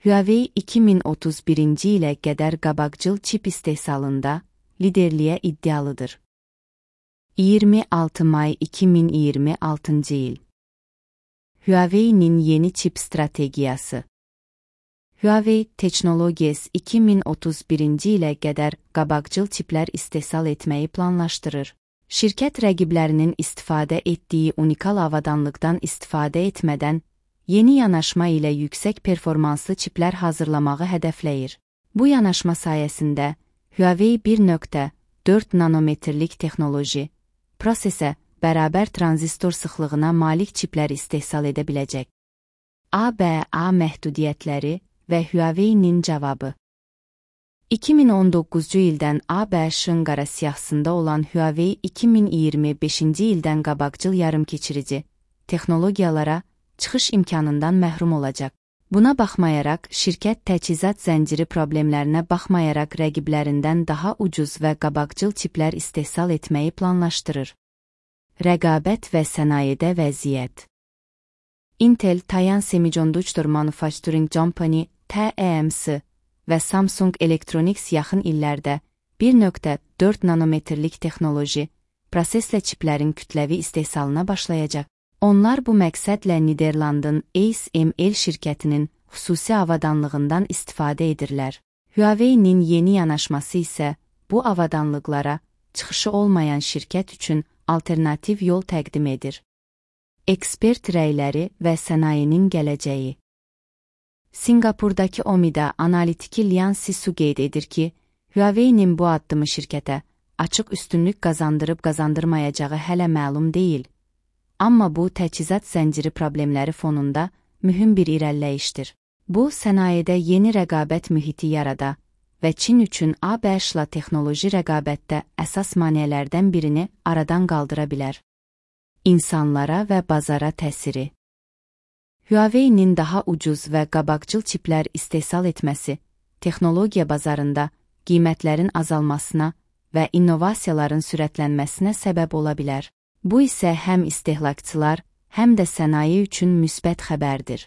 Huawei 2031-ci ilə qədər qabaqcıl çip istehsalında liderliyə iddialıdır. 26 may 2026-cı il. Huawei'nin yeni çip stratejiyası. Huawei Technologies 2031-ci ilə qədər qabaqcıl çiplər istehsal etməyi planlaşdırır. Şirkət rəqiblərinin istifadə etdiyi unikal avadanlıqdan istifadə etmədən, yeni yanaşma ilə yüksək performanslı çiplər hazırlamağı hədəfləyir. Bu yanaşma sayəsində Huawei 1.4 nanometrlik texnoloji, prosesə bərabər tranzistor sıxlığına malik çiplər istehsal edə biləcək. ABA məhdudiyyətləri və Huawei'nin cavabı. 2019-cu ildən ABŞ-ın qara siyahısında olan Huawei 2025-ci ildən qabaqcıl yarımkeçirici texnologiyalara çıxış imkanından məhrum olacaq. Buna baxmayaraq, şirkət təchizat zənciri problemlərinə baxmayaraq rəqiblərindən daha ucuz və qabaqcıl çiplər istehsal etməyi planlaşdırır. Rəqabət və sənayedə vəziyyət. Intel, Taiwan Semiconductor Manufacturing Company, TSMC və Samsung Electronics yaxın illərdə 1.4 nanometrlik texnoloji, proseslə çiplərin kütləvi istehsalına başlayacaq. Onlar bu məqsədlə Niderlandın ASML şirkətinin xüsusi avadanlığından istifadə edirlər. Huawei'nin yeni yanaşması isə bu avadanlıqlara çıxışı olmayan şirkət üçün alternativ yol təqdim edir. Ekspert rəyləri və sənayenin gələcəyi. Singapurdakı OMIDA analitiki Lian Sisu qeyd edir ki, Huawei'nin bu addımı şirkətə açıq üstünlük qazandırıb-qazandırmayacağı hələ məlum deyil. Amma bu, təchizat zənciri problemləri fonunda mühüm bir irəliləyişdir. Bu, sənayedə yeni rəqabət mühiti yarada və Çin üçün ABŞ-la texnoloji rəqabətdə əsas maneələrdən birini aradan qaldıra bilər. İnsanlara və bazara təsiri. Huawei'nin daha ucuz və qabaqcıl çiplər istehsal etməsi, texnologiya bazarında qiymətlərin azalmasına və innovasiyaların sürətlənməsinə səbəb ola bilər. Bu isə həm istehlakçılar, həm də sənaye üçün müsbət xəbərdir.